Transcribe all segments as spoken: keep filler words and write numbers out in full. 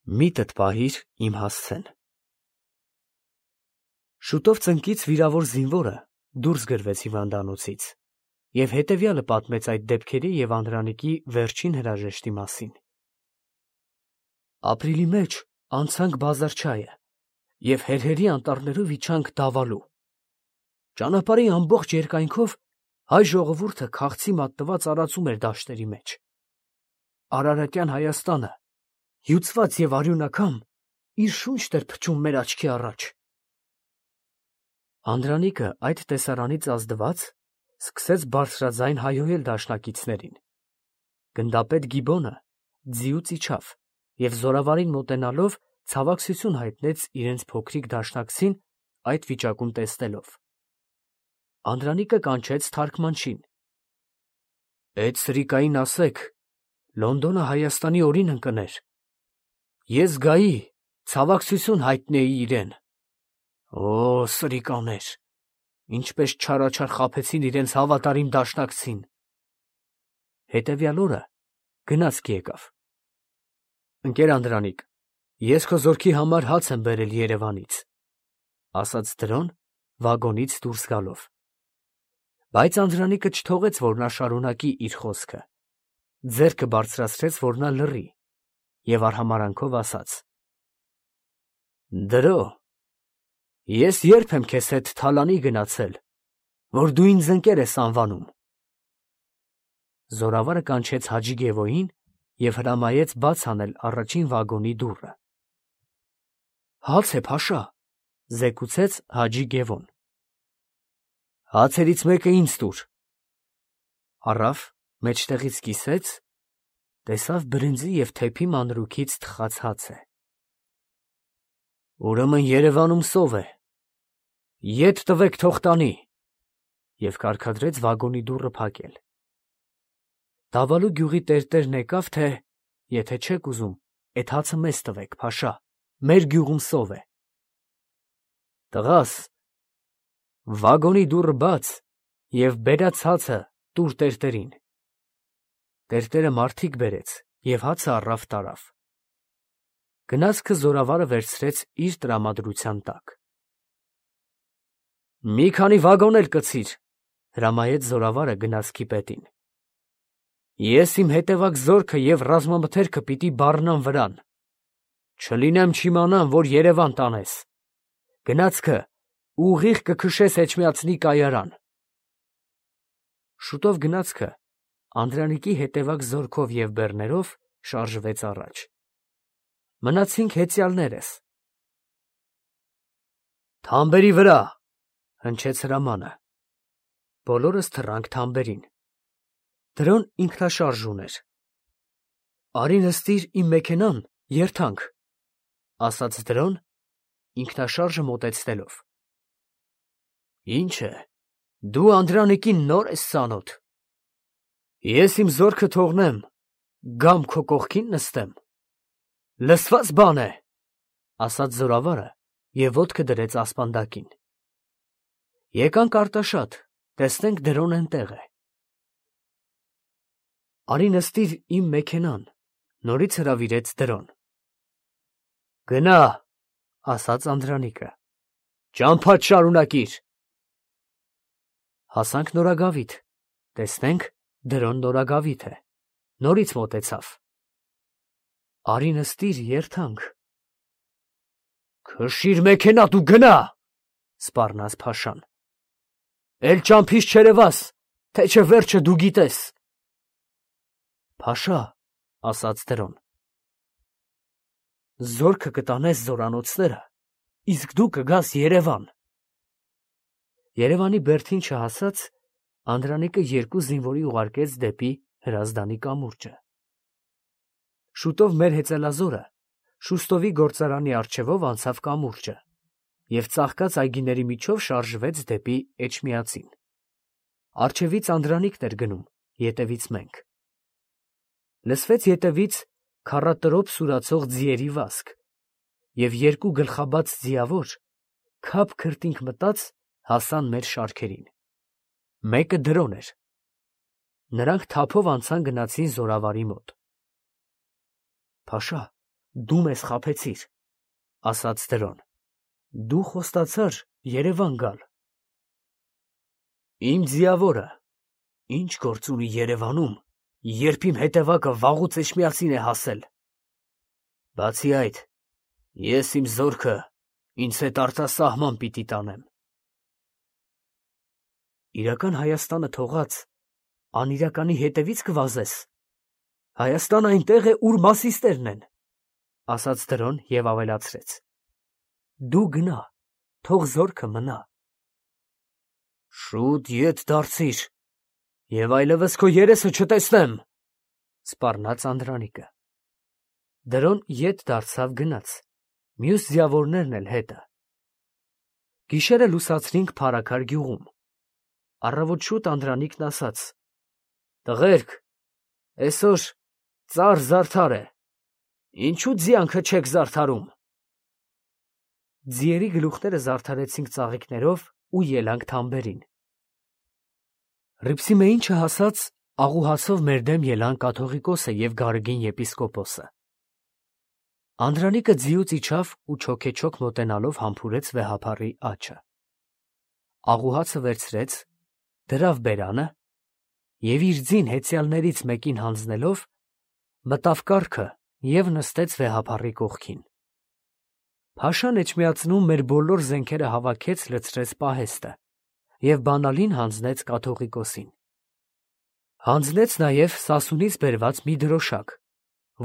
Միտդ պահիր իմ հասցեն։ Շուտով ծնկից վիրավոր զինվորը դուրս գրվեց հիվանդանոցից և հետևյալը պատմեց այդ դեպքերի և Անդրանիկի վերջին հրաժեշտի մասին։ Ապրիլի մեջ անցանք Բազարչայը և հերհերի անտառներով իջանք Դավալու։ Ճանապարհի ամբողջ երկայնքով հայ ժողովուրդը քաղցի մատնված արածում էր դաշտերի մեջ։ Արարատյան Հայաստանը, հյուծված և արյունաքամ, իր շունչն էր փչում մեր աչքի առաջ։ Անդրանիկը այդ տեսարանից ազդված սկսեց բարձրաձայն հայհոյել դաշնակիցներին։ Գնդապետ Գիբոնը ձիուց իջավ և զորավարին մոտենալով ցավակցություն հայտնեց իրենց փոքրիկ դաշնակցին այդ վիճակում տեսնելով։ Անդրանիկը կանչեց թարգմանչին. «Էդ սրիկային ասեք, Լոնդոնը Հայաստանի օրին ընկներ, ես գայի, ցավակցություն հայտնեի իրան։ Օ՜, սրիկաներ, ինչպես չարաչար խաբեցին իրենց հավատարիմ դաշնակցին»։ Հետևյալ օրը գնացք եկավ. «Ընկեր Անդրանիկ, ես քո զորքի համար հաց եմ բերել Երևանից», ֊ ասաց դրոն վագոնից դուրս գալով։ Բայց Անդրանիկը չթողեց, որ նա շարունակի իր խոսքը, ձեռքը բարձրացրեց, որ նա լռի, և արհամարհանքով ասաց. «Դրո, ես ե՞րբ եմ քեզ հետ թալանի գնացել, որ դու ինձ ընկեր ես անվանում»։ Զորավարը կանչեց Հաջի Գևոյին և հրամայեց բաց անել առաջին վագոնի դուռը։ «Հաց է, Փաշա», ֊ զեկուցեց Հաջի Գևոն։ «Հացերից մեկը ինձ տուր»։ Առավ, մեջտեղից կիսեց, տեսավ բրինձի և թեփի մանրուքից թխած հաց է։ «Ուրեմն Երևանում սով է, ետ տվեք, թող տանի», և կարգադրեց վագոնի դուռը փակել։ Դավալու գյուղի տերտերն եկավ, թե «Եթե չեք ուզում, էդ հացը մեզ տվեք, Փաշա, մեր գյուղում սով է»։ «Տղաս, վագոնի դուռը բաց և բերած հացը տուր տերտերին»։ Տերտերը մարդիկ բերեց և հացը առավ տարավ։ Գնացքը զորավարը վերցրեց իր տրամադրության տակ։ «Մի քանի վագոն էլ կցիր», ֊ հրամայեց զորավարը գնացքի պետին։ «Ես իմ հետևակ զորքը և ռազմամթերքը պիտի բառնամ վրան, չլինեմ չիմանամ, որ Երևան տանես։ Գնացքը ուղիղ կքշես Էջմիածնի կայարան»։ Շուտով գնացքը Անդրանիկի հետևակ զորքով և բեռներով շարժվեց առաջ։ Մնացինք հեծյալներս։ «Թամբերի վրա», ֊ հնչեց հրամանը։ Բոլորս թռանք թամբերին։ Դրոն ինքնաշարժ ուներ։ «Արի նստիր իմ մեքենան, երթանք», ֊ ասաց դրոն ինքնաշարժը մոտեցնելով։ «Ի՞նչ է, դու Անդրանիկին նոր ես ծանոթ։ Ես իմ զորքը թողնեմ, գամ քո կողքին նստեմ, լսվա՞ծ բան է», ֊ ասաց զորավարը և ոտքը դրեց ասպանդակին։ Եկանք Արտաշատ, տեսնենք դրոն էնտեղ է։ «Արի նստիր իմ մեքենան», ֊ նորից հրավիրեց դրոն։ «Գնա», ֊ ասաց Անդրանիկը, «ճամփադ շարունակիր»։ Հասանք Նորագավիթ, տեսնենք դրոն նորագավիթ է, նորից մոտեցավ։ «Արի նստիր, երթանք»։ «Քշիր մեքենատ ու գնա», ֊ սպառնաց Փաշան։ «Էլ ճամփից չերևաս, թե չէ վերջը դու գիտես»։ «Փաշա», ֊ ասաց դրոն, «զորքը կտանես զորանոցները, իսկ դու կգաս Երևան»։ Երևանի բերդին չհասած, Անդրանիկը երկու զինվորի ուղարկեց դեպի Հրազդանի կամուրջը։ Շուտով մեր հեծելազորը Շուստովի գործարանի առջևով անցավ կամուրջը և ծաղկած այգիների միջով շարժվեց դեպի Էջմիածին։ Առջևից Անդրանիկն էր գնում, ետևից մենք։ Լսվեց ետևից քառատրոփ սուրացող ձիերի վազք, և երկու գլխաբաց ձիավոր քափ քրտինք մտած հասան մեր շարքերին։ Մեկը դրոն էր։ Նրանք թափով անցան գնացին զորավարի մոտ։ «Փաշա, դու մեզ խաբեցիր, ասաց Դրոն, դու խոստացար Երևան գալ։ Իմ ձիավորը ինչ գործ ունի Երևանում, երբ իմ հետևակը վաղուց Էջմիածին է հասել։ Բացի այդ, ես իմ զորքը ինձ հետ արտասահման պիտի տանեմ։ Իրական Հայաստանը թողած, անիրականի հետևից կվազես։ Հայաստանը այնտեղ է, ուր մասիստերն են, ասաց Դրոն և ավելացրեց. դու գնա, թող զորքը մնա։ Շուտ ետ դարձիր, և այլևս քո երեսը չտեսնեմ, սպառնաց Անդրանիկը։ Դրոն ետ դարձավ գնաց, մյուս ձիավորներն էլ հետը։ Գիշերը լուսացրինք Փարաքար գյուղում։ Առավոտ շուտ Անդրանիկն ասաց. տղերք, այսօր ծառ զարդար է, ինչու ձիանքը չեք զարդարում։ Ձիերի գլուխները զարդարեցինք ծաղիկներով ու ելանք թամբերին։ Ռիփսիմեին չհասած աղուհացով մեր դեմ ելան կաթողիկոսը և Գարեգին եպիսկոպոսը։ Անդրանիկը ձիուց իջավ ու չոքեչոք մոտենալով համբուրեց վեհափառի աջը։ Աղուհացը վերցրեց, դրավ բերանը և իր ձին հեծյալներից մեկին հանձնելով մտավ կառքը և նստեց վեհափառի կողքին։ Փաշան Էջմիածնում մեր բոլոր զենքերը հավաքեց, լցրեց պահեստը և բանալին հանձնեց կաթողիկոսին։ Հանձնեց նաև Սասունից բերված մի դրոշակ,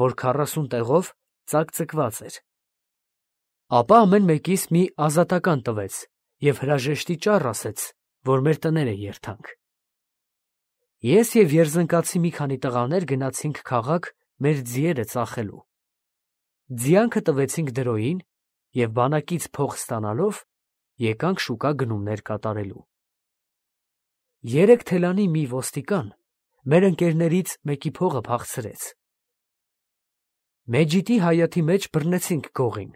որ քառասուն տեղով ծակծկված էր։ Ապա ամեն մեկիս մի ազատական տվեց և հրաժեշտի ճառ ասեց, որ մեր տները երթանք։ Ես և երզնկացի մի քանի տղաներ գնացինք քաղաք մեր ձիերը ծախելու։ Ձիանքը տվեցինք Դրոյին և բանակից փող ստանալով եկանք շուկա գնումներ կատարելու։ Երեք թելանի մի ոստիկան մեր ընկերներից մեկի փողը փախցրեց։ Մեջիտի հայաթի մեջ բռնեցինք գողին։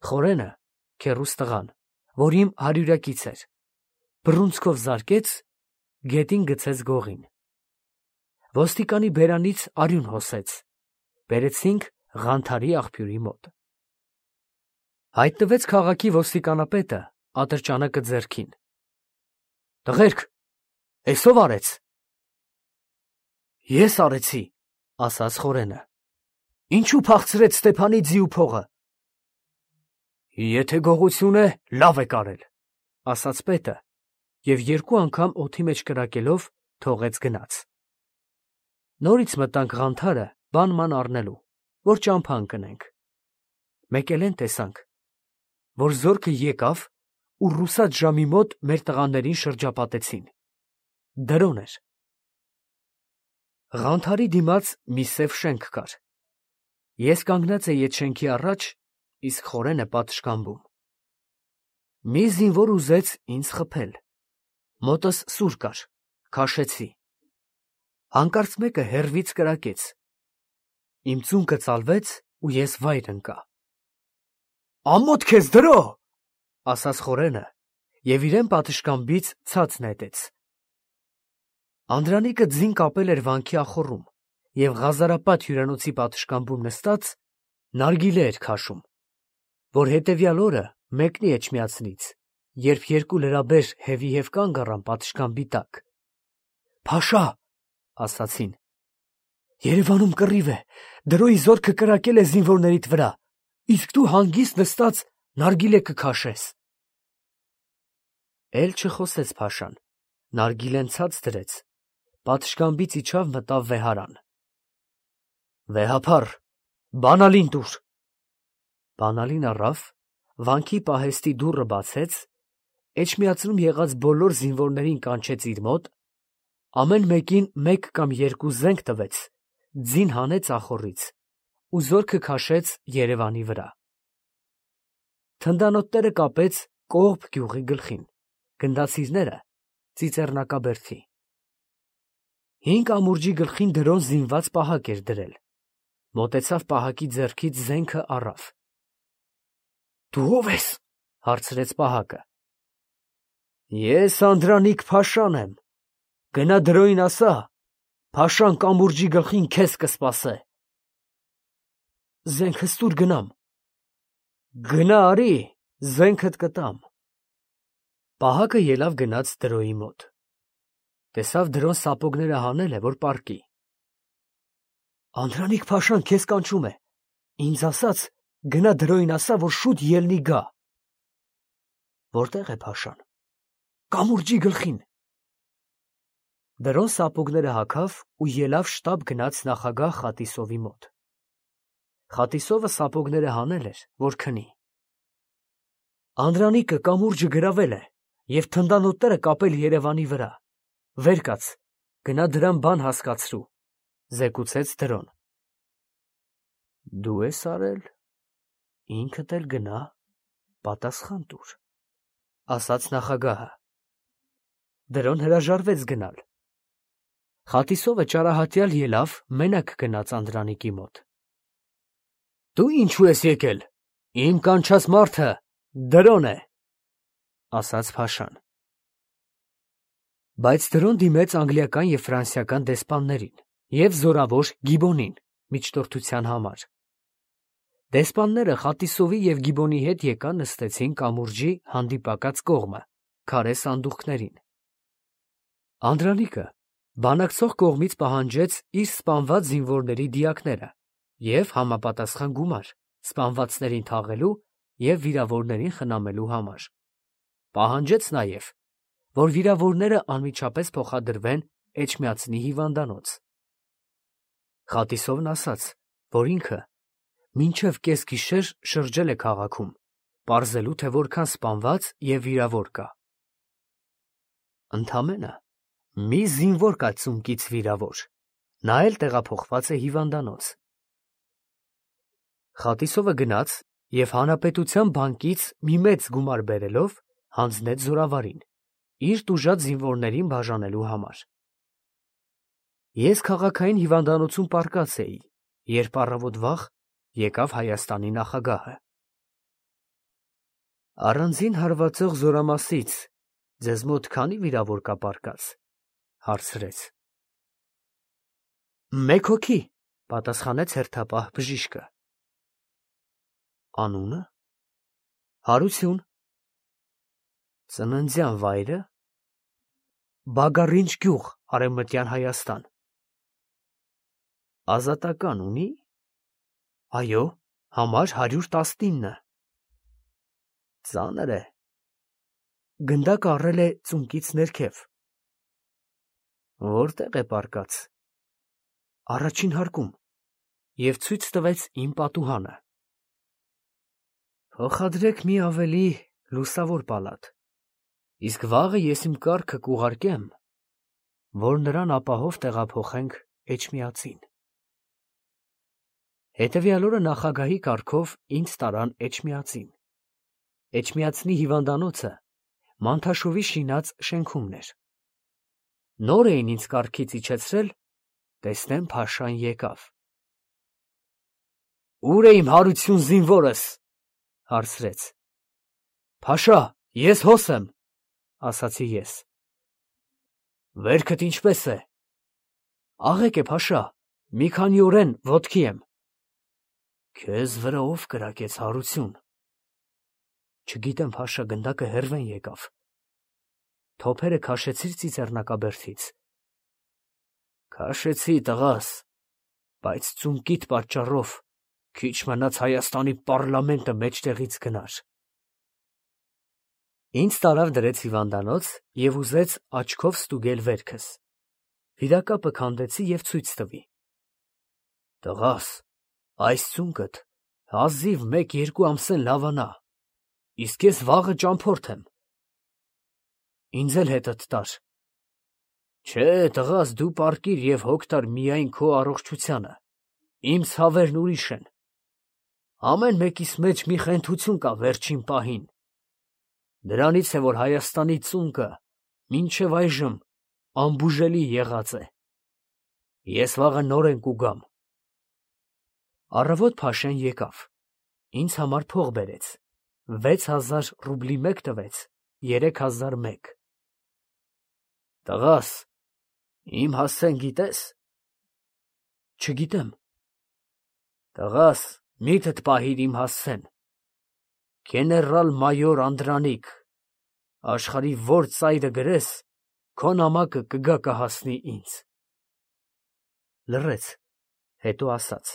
Խորենը, քեռուս տղան, որ իմ հարյուրակից էր, բռունցքով զարկեց, գետին գցեց գողին։ Ոստիկանի բերանից արյուն հոսեց, բերեցինք Ղանթարի աղբյուրի մոտ։ Հայտնվեց քաղաքի ոստիկանապետը ատրճանակը ձեռքին։ Տղերք, էս ով արեց։ Ես արեցի, ասաց Խորենը։ Ինչու փախցրեց Ստեփանի ձիու փողը։ Եթե գողություն է, լավ եք արել, ասաց պետը և երկու անգամ օդի մեջ կրակելով թողեց գնաց։ Նորից մտանք Ղանթարը բան-ման առնելու, որ ճամփա ընկնենք։ Մեկ էլ էն տեսանք, որ զորքը եկավ ու ռուսաց ժամի մոտ մեր տղաներին շրջապատեցին։ Դրոն էր։ Ղանթարի դիմաց մի սև շենք կար։ Ես կանգնած էի այդ շենքի առաջ, իսկ Խորենը պատշգամբում։ Մի զինվոր ուզեց ինձ խփել։ Մոտս սուր կար, քաշեցի։ Հանկարծ մեկը հեռվից կրակեց։ Իմ ծունկը ծալվեց ու ես վայր ընկա։ Ամոթ քեզ Դրո, ասաց Խորենը և իրեն պատշգամբից ցած նետեց։ Անդրանիկը ձին կապել էր վանքի ախոռում և Ղազարապատ հյուրանոցի պատշգամբում նստած նարգիլե էր քաշում, որ հետևյալ օրը մեկնի Էջմիածնից, երբ երկու լրաբեր հևիհև կանգ առան պատշգամբի տակ։ Փաշա, ասացին, Երևանում կռիվ է, Դրոյի զորքը կրակել է զինվորներիդ վրա, իսկ դու հանգիստ նստած նարգիլե կքաշես։ Էլ չխոսեց Փաշան, նարգիլեն ցած դրեց, պատշգամբից իջավ մտավ վեհարան։ Վեհափառ, բանալին տուր։ Բանալին առավ, վանքի պահեստի դուռը բացեց, Էջմիածնում եղած բոլոր զինվորներին կանչեց իր մոտ, ամեն մեկին մեկ կամ երկու զենք տվեց, ձին հանեց ախոռից ու զորքը քաշեց Երևանի վրա։ Թնդանոթները կապեց Կողբ գյուղի գլխին, գնդացիրները Ծիծեռնակաբերդի։ Հինգ ամուրջի գլխին Դրոն զինված պահակ էր դրել, մոտեցավ պահակի ձեռքից զենքը առավ։ Դու ո՞վ ես, հարցրեց պահակը։ Ես Անդրանիկ Փաշան եմ, գնա Դրոյին ասա, Փաշան կամուրջի գլխին քեզ կսպասե։ զենքս տուր գնամ։ Գնա արի, զենքդ կտամ։ Պահակը ելավ գնաց Դրոյի մոտ։ Տեսավ Դրոն սապոգները հանել է, որ պառկի։ Անդրանիկ փաշան քեզ կանչում է, ինձ ասաց, գնա Դրոյին ասա, որ շուտ ելնի գա։ Որտեղ է փաշան։ Կամուրջի գլխին։ Դրոն սապոգները հագավ ու ելավ շտապ գնաց նախագահ Խատիսովի մոտ։ Խատիսովը սապոգները հանել էր, որ քնի։ Անդրանիկը կամուրջը գրավել է և թնդանոթները կապել Երևանի վրա։ Վեր կաց, գնա դրան բան հասկացրու, զեկուցեց Դրոն։ Դու ես արել, ինքդ էլ գնա, պատասխան տուր, ասաց նախագահը։ Դրոն հրաժարվեց գնալ։ Խատիսովը ճարահատյալ ելավ, մենակ գնաց Անդրանիկի մոտ։ Դու ինչու ես եկել, իմ կանչած մարդը Դրոն է, ասաց փաշան։ Բայց Դրոն դիմեց անգլիական և ֆրանսիական դեսպաններին և զորավոր Գիբոնին միջնորդության համար։ Դեսպանները Խատիսովի և Գիբոնի հետ եկան նստեցին կամուրջի հանդիպակաց կողմը, քարե սանդուղքներին։ Անդրանիկը բանակցող կողմից պահանջեց իր սպանված զինվորների դիակները և համապատասխան գումար սպանվածներին թաղելու և վիրավորներին խնամելու համար։ Պահանջեց նաև, որ վիրավորները անմիջապես փոխադրվեն Էջմիածնի հիվանդանոց։ Խատիսովն ասաց, որ ինքը մինչև կեսգիշեր շրջել է քաղաքում, պարզելու, թե որքան սպանված և վիրավոր կա։ Ընդամենը մի զինվոր կա ծունկից վիրավոր, նա էլ տեղափոխված է հիվանդանոց։ Խատիսովը գնաց և հանրապետության բանկից մի մեծ գումար բերելով հանձնեց զորավարին, իր տուժած զինվորներին բաժանելու համար։ Ես քաղաքային հիվանդանոցում պառկած էի, երբ առավոտ վաղ եկավ Հայաստանի նախագահը։ Առանձին հարվածող զորամասից ձեզ մոտ քանի վիրավոր կա պառկած, հարցրեց։ Մեկ հոգի, պատասխանեց հերթապահ բժիշկը։ Անունը։ Հարություն։ Ծննդյան վայրը։ Բագարինչ գյուղ, Արևմտյան Հայաստան։ Ազատական ունի։ Այո, համար հարյուր տասնինը։ Ծանր է։ Գնդակը առել է ծունկից ներքև։ Որտեղ է պառկած։ Առաջին հարկում և ցույց տվեց իմ պատուհանը։ Փոխադրեք մի ավելի լուսավոր պալատ, իսկ վաղը ես իմ կառքը կուղարկեմ, որ նրան ապահով տեղափոխենք Էջմիածին։ Հետևյալ օրը նախագահի կարգով ինձ տարան Էջմիածին։ Էջմիածնի հիվանդանոցը Մանթաշովի շինած շենքումն էր։ Նոր էին ինձ կառքից իջեցրել, տեսնեմ փաշան եկավ։ Ո՞ւր է իմ հարություն զինվորս, հարցրեց։ Փաշա, ես հոս եմ, ասացի ես։ Վերքդ ինչպես է։ Աղեկ է, փաշա, մի քանի օրեն ոտքի եմ։ Քեզ վրա ով կրակեց, հարություն։ Չգիտեմ, փաշա, գնդակը հեռվեն եկավ։ Թոփերը քաշեցի՞ր ծիծեռնակաբերդից։ Քաշեցի, տղաս, բայց ծունկիդ պատճառով քիչ մնաց Հայաստանի պառլամենտը մեջտեղից գնար։ Ինձ տարավ դրեց հիվանդանոց և ուզեց աչքով ստուգել վերքս։ Վիրակապը քանդեցի և ցույց տվի։ Տղաս, այս ծունկդ հազիվ մեկ֊երկու ամսեն լավանա, իսկ ես վաղը ճամփորդ եմ։ Ինձ էլ հետդ տար։ Չէ, տղաս, դու պառկիր և հոգ տար միայն քո առողջությանը, իմ ցավերն ուրիշ են։ Ամեն մեկիս մեջ մի խենթություն կա վերջին պահին։ Դրանից է, որ Հայաստանի ծունկը մինչև այժմ անբուժելի եղած է։ Ես վաղը նորեն կուգամ։ Առավոտ փաշեն եկավ, ինձ համար փող բերեց, վեց հազար ռուբլի մեկ տվեց, երեք հազար մեկ։ Տղաս, իմ հասցեն գիտես։ Չգիտեմ։ Տղաս, Միթդ պահիր իմ հասցեն, գեներալ֊մայոր Անդրանիկ, աշխարհի որ ծայրը գրես, քո նամակը կգա կհասնի ինձ։ Լռեց, հետո ասաց.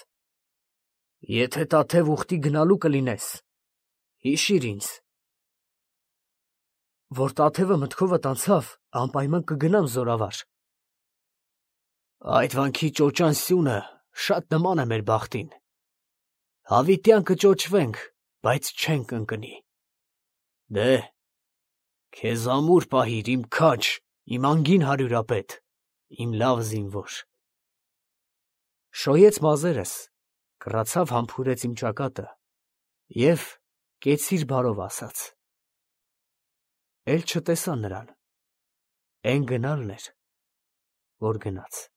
Եթե Տաթև ուխտի գնալու կլինես, հիշիր ինձ։ Որ Տաթևը մտքովդ անցավ, անպայման կգնամ Զորավար։ Այդ վանքի ճոճան սյունը շատ նման է մեր բախտին։ Հավիտյան կճոճվենք, բայց չենք ընկնի։ Դե, քեզ ամուր պահիր, իմ քաջ, իմ անգին հարյուրապետ, իմ լավ զինվոր։ Շոյեց մազերս, կռացավ համբուրեց իմ ճակատը և կեցիր բարով ասաց։ Էլ չտեսա նրան, էն գնալն էր, որ գնաց։